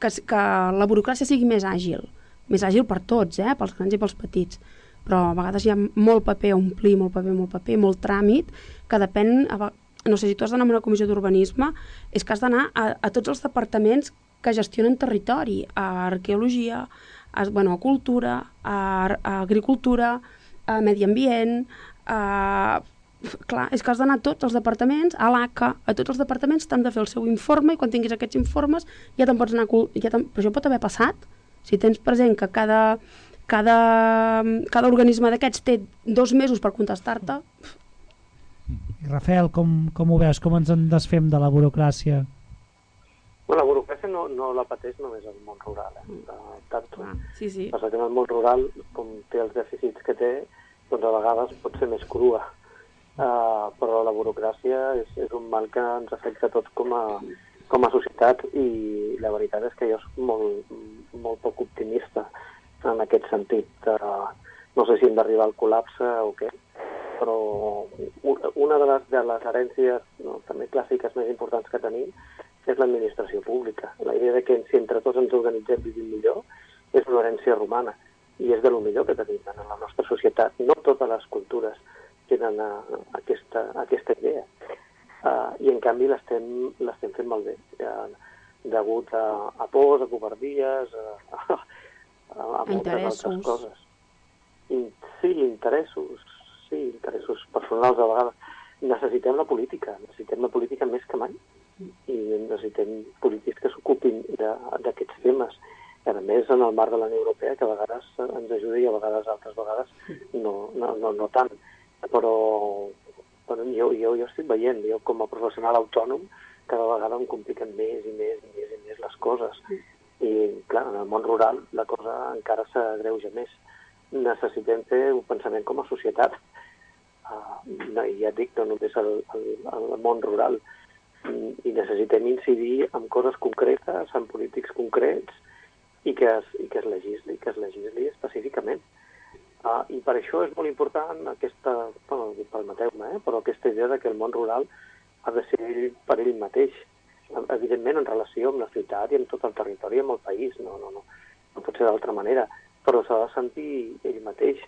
que, que la burocràcia sigui més àgil, més àgil per tots, eh? Pels grans i pels petits, però a vegades hi ha molt paper a omplir, molt paper, molt paper, molt tràmit, que depèn, no sé, si tu has d'anar a una comissió d'urbanisme, és que has d'anar a, a tots els departaments que gestionen territori, a arqueologia, a, bueno, a cultura, a, a agricultura, a medi ambient, a... Clar, és que has d'anar a tots els departaments, a l'A C A, a tots els departaments t'han de fer el seu informe i quan tinguis aquests informes ja te'n pots anar... Ja te... Però això pot haver passat. Si tens present que cada, cada, cada organisme d'aquests té dos mesos per contestar-te... I Rafael, com, com ho veus? Com ens en desfem de la burocràcia? Bueno, la burocràcia no, no la pateix només el món rural. Eh? De, tant, ah, sí, sí. Passa que en el món rural, com té els dèficits que té, doncs a vegades pot ser més crua. Uh, però la burocràcia és, és un mal que ens afecta a tots com a, com a societat i la veritat és que jo soc molt, molt poc optimista en aquest sentit. Uh, no sé si hem d'arribar al col·lapse o què, però una de les, de les herències no, també clàssiques més importants que tenim és l'administració pública. La idea de que si entre tots ens organitzem vivim millor és una herència romana i és de lo millor que tenim en la nostra societat. No totes les cultures tenen a, a aquesta, a aquesta idea. Uh, I en canvi l'estem fent malbé, uh, degut a, a pors, a covardies, a, a, a moltes altres coses. I, sí, interessos, sí, interessos personals a vegades. Necessitem la política, necessitem la política més que mai i necessitem polítics que s'ocupin d'aquests temes. A més, en el marc de la Unió Europea, que a vegades ens ajuda i a vegades, altres vegades, no, no, no, no tant. Però, però jo, jo, jo estic veient, jo com a professional autònom, cada vegada em compliquen més i més i més i més les coses. I, clar, en el món rural la cosa encara s'agreuja més. Necessitem fer un pensament com a societat. Uh, no, ja et dic, no només el, el, el món rural. I necessitem incidir en coses concretes, en polítics concrets, i que es, i que es legisli, que es legisli específicament. Uh, I per això és molt important aquesta, bueno, permeteu-me, eh, però aquesta idea de que el món rural ha de ser per ell mateix, evidentment en relació amb la ciutat i amb tot el territori, amb el país, no, no, no, no pot ser d'altra manera, però s'ha de sentir ell mateix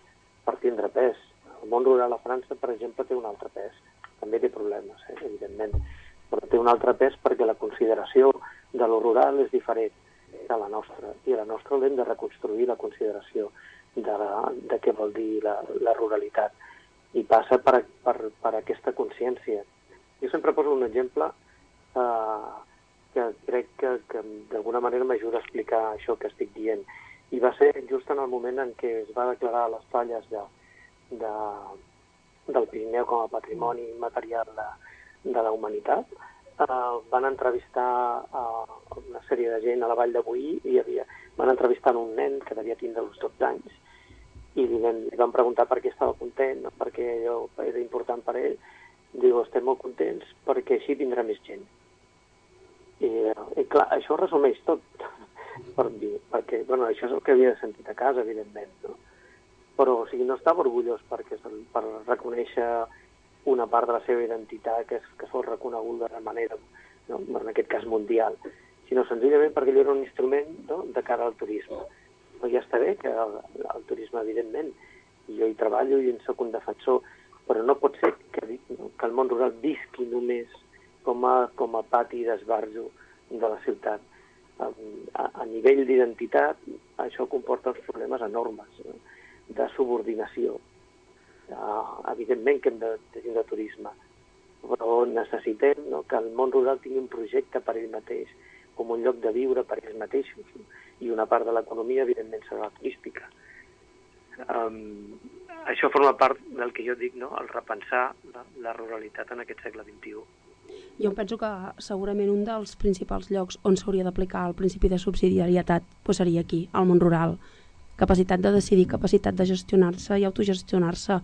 per tindre pes. El món rural a França, per exemple, té un altre pes, també té problemes, eh, evidentment, però té un altre pes perquè la consideració de lo rural és diferent de la nostra, i a la nostra l'hem de reconstruir la consideració de, la, de què vol dir la, la ruralitat, i passa per, per, per aquesta consciència. Jo sempre poso un exemple Uh, que crec que, que d'alguna manera m'ajuda a explicar això que estic dient. I va ser just en el moment en què es va declarar les falles de, de, del Pirineu com a patrimoni material de, de la humanitat. Uh, van entrevistar uh, una sèrie de gent a la Vall de Boí i havia, van entrevistar un nen que devia tindre uns dotze anys i li, li van preguntar per què estava content, no? Perquè allò era important per ell. Diu, estem molt contents perquè així vindrà més gent. I, i clar, això resumeix tot, per dir, perquè, bueno, això és el que havia sentit a casa, evidentment, no? Però, o sigui, no estava orgullós perquè, per reconèixer una part de la seva identitat que, és, que fos reconeguda de manera, no? En aquest cas mundial, sinó senzillament perquè allò era un instrument, no? De cara al turisme. Però ja està bé que el, el turisme, evidentment, i jo hi treballo i en soc un defensor, però no pot ser que, no? Que el món rural visqui només com a, com a pati d'esbarjo de la ciutat. A, a, a nivell d'identitat, això comporta uns problemes enormes, no? De subordinació. Uh, evidentment que hem de tenir de turisme, però necessitem, no? Que el món rural tingui un projecte per ell mateix, com un lloc de viure per ells mateixos, no? I una part de l'economia, evidentment, serà la turística. Um, això forma part del que jo dic, no? El repensar la, la ruralitat en aquest segle vint-i-u. Jo penso que segurament un dels principals llocs on s'hauria d'aplicar el principi de subsidiarietat pues seria aquí, al món rural. Capacitat de decidir, capacitat de gestionar-se i autogestionar-se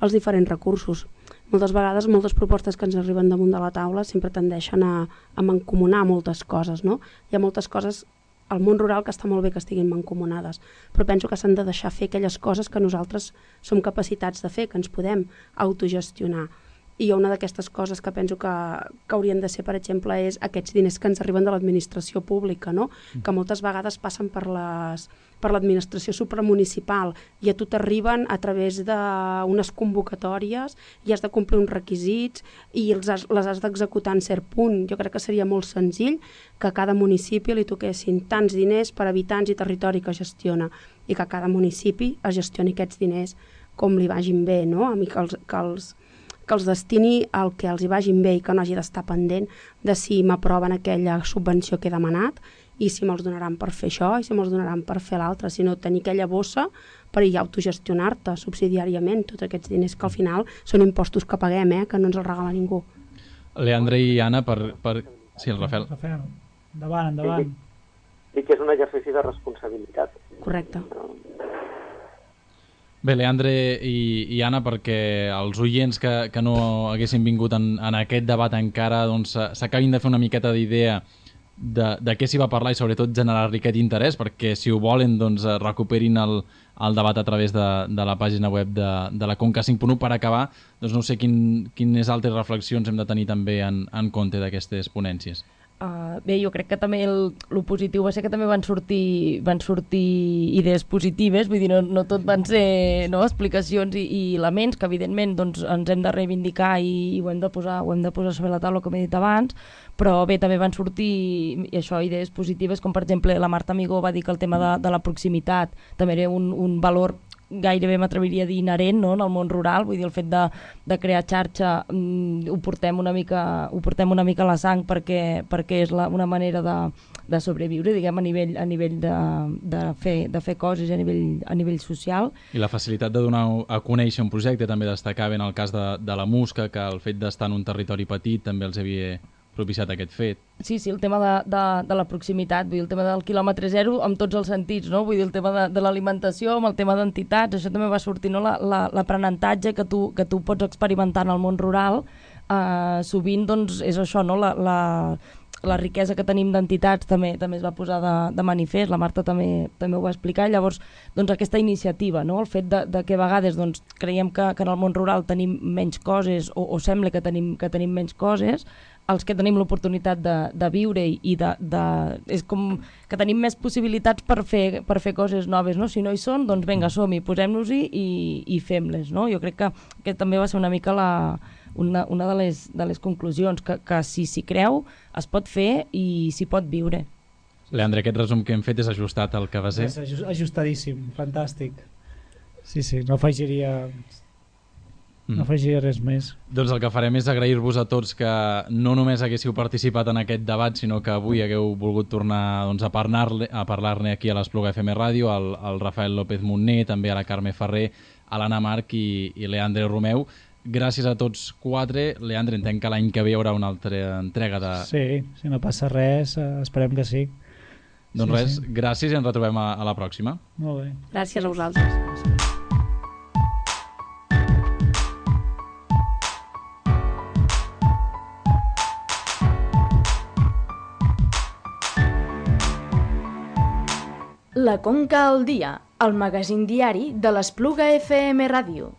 els diferents recursos. Moltes vegades, moltes propostes que ens arriben damunt de la taula sempre tendeixen a, a mancomunar moltes coses, no? Hi ha moltes coses al món rural que està molt bé que estiguin mancomunades, però penso que s'han de deixar fer aquelles coses que nosaltres som capacitats de fer, que ens podem autogestionar. I una d'aquestes coses que penso que, que haurien de ser, per exemple, és aquests diners que ens arriben de l'administració pública, no? Que moltes vegades passen per les, per l'administració supramunicipal i a tu t'arriben a través d'unes convocatòries i has de complir uns requisits i els has, les has d'executar en cert punt. Jo crec que seria molt senzill que a cada municipi li toquessin tants diners per habitants i territori que gestiona i que cada municipi es gestioni aquests diners com li vagin bé, no? A mi que els... Que els que els destini al que els hi vagin bé i que no hagi d'estar pendent de si m'aproven aquella subvenció que he demanat i si me'ls donaran per fer això i si me'ls donaran per fer l'altre, sinó tenir aquella bossa per ja autogestionar-te subsidiàriament tots aquests diners que al final són impostos que paguem, eh, que no ens els regala ningú. Leandre i Anna, per... per... Sí, el Rafael. Rafael, endavant, endavant. Dic que és un exercici de responsabilitat. Correcte. Bé, Leandre i, i Anna, perquè els oients que, que no haguessin vingut en, en aquest debat encara doncs, s'acabin de fer una miqueta d'idea de, de què s'hi va parlar i sobretot generar-li aquest interès, perquè si ho volen doncs, recuperin el, el debat a través de, de la pàgina web de, de la Conca cinc punt u. Per acabar, doncs no sé quin, quines altres reflexions hem de tenir també en, en compte d'aquestes ponències. Uh, bé, jo crec que també el, el positiu va ser que també van sortir, van sortir idees positives, vull dir, no, no tot van ser no, explicacions i, i elements que evidentment doncs, ens hem de reivindicar i, i ho, hem de posar, ho hem de posar sobre la taula, com he dit abans, però bé, també van sortir i això, idees positives, com per exemple la Marta Amigó va dir que el tema de, de la proximitat també era un, un valor gairebé m'atreviria a dir inherent, no?, en el món rural, vull dir, el fet de, de crear xarxa mm, ho portem una mica ho portem una mica a la sang perquè, perquè és la, una manera de, de sobreviure, diguem, a nivell, a nivell de, de, fer, de fer coses a nivell, a nivell social. I la facilitat de donar a conèixer un projecte també destacava en el cas de, de la Musca, que el fet d'estar en un territori petit també els havia propiciat aquest fet. Sí, sí, el tema de, de, de la proximitat, vull dir, el tema del quilòmetre zero amb tots els sentits, no? Vull dir, el tema de, de l'alimentació, amb el tema d'entitats, això també va sortir, no? L'aprenentatge que, tu, que tu pots experimentar en el món rural, eh, sovint doncs, és això, no? La, la, la riquesa que tenim d'entitats també també es va posar de, de manifest, la Marta també també ho va explicar, llavors doncs aquesta iniciativa, no? El fet de, de que a vegades doncs, creiem que, que en el món rural tenim menys coses o, o sembla que tenim, que tenim menys coses, els que tenim l'oportunitat de, de viure i de, de... és com que tenim més possibilitats per fer, per fer coses noves, no? Si no hi són, doncs vinga, som-hi, posem-nos-hi i, i fem-les, no? Jo crec que, que també va ser una mica la... Una, una de, les, de les conclusions, que, que si s'hi creu es pot fer i s'hi pot viure. Leandre, aquest resum que hem fet és ajustat al que va ser? És ajustadíssim, fantàstic. Sí, sí, no afegiria, mm. no afegiria res més. Doncs el que farem és agrair-vos a tots que no només haguéssiu participat en aquest debat, sinó que avui hagueu volgut tornar doncs, a parlar-ne a parlar-ne aquí a l'Espluga F M Ràdio, al, al Rafael López Montner, també a la Carme Ferrer, a l'Anna Marc i, i Leandre Romeu. Gràcies a tots quatre. Leandre, entenc que l'any que ve hi haurà una altra entrega de... Sí, si no passa res, esperem que sí. Doncs sí, res, sí. Gràcies i ens retrobem a, a la pròxima. Molt bé. Gràcies a vosaltres. La Conca al dia, el magazín diari de l'Espluga F M Ràdio.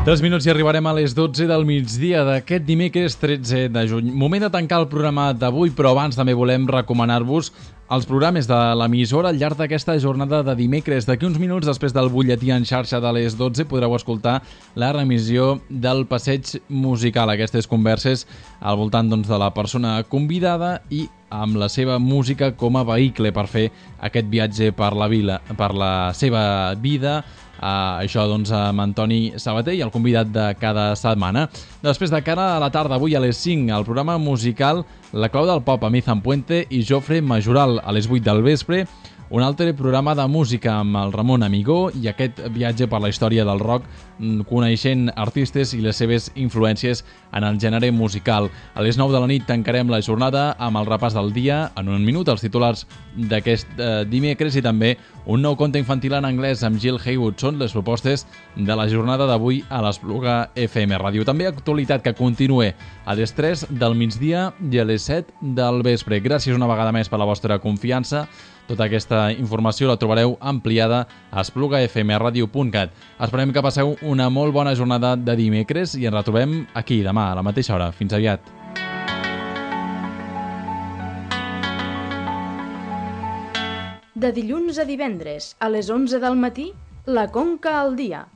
Tres minuts i arribarem a les dotze del migdia d'aquest dimecres tretze de juny. Moment de tancar el programa d'avui, però abans també volem recomanar-vos els programes de l'emissora al llarg d'aquesta jornada de dimecres. D'aquí uns minuts, després del butlletí en xarxa de les dotze, podreu escoltar la remissió del passeig musical. Aquestes converses al voltant doncs, de la persona convidada i amb la seva música com a vehicle per fer aquest viatge per la vila, per la seva vida. Uh, això doncs amb Antoni Sabater i el convidat de cada setmana. Després de cara a la tarda, avui a les cinc, el programa musical La Clau del Pop amb Ethan Puente i Jofre Majoral. A les vuit del vespre, un altre programa de música amb el Ramon Amigó i aquest viatge per la història del rock, coneixent artistes i les seves influències en el gènere musical. A les nou de la nit tancarem la jornada amb el repàs del dia, en un minut els titulars d'aquest eh, dimecres i també un nou conte infantil en anglès amb Jill Haywood. Són les propostes de la jornada d'avui a l'Espluga F M Ràdio. També actualitat que continue a les tres del migdia i a les set del vespre. Gràcies una vegada més per la vostra confiança. Tota aquesta informació la trobareu ampliada a espluga f m radio punt cat. Esperem que passeu una molt bona jornada de dimecres i ens retrobem aquí demà a la mateixa hora. Fins aviat. De dilluns a divendres, a les onze del matí, La Conca al dia,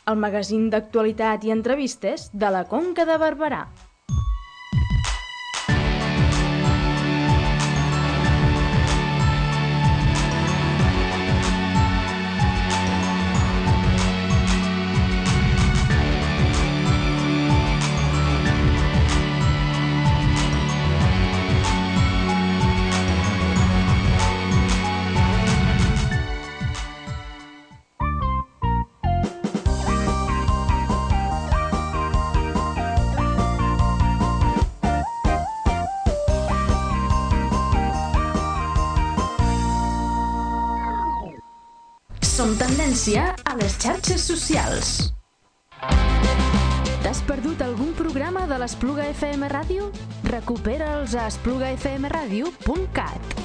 el magazín d'actualitat i entrevistes de la Conca de Barberà. Som tendència a les xarxes socials. T'has perdut algun programa de l'Espluga F M Ràdio? Recupera'ls a espluga f m radio punt cat.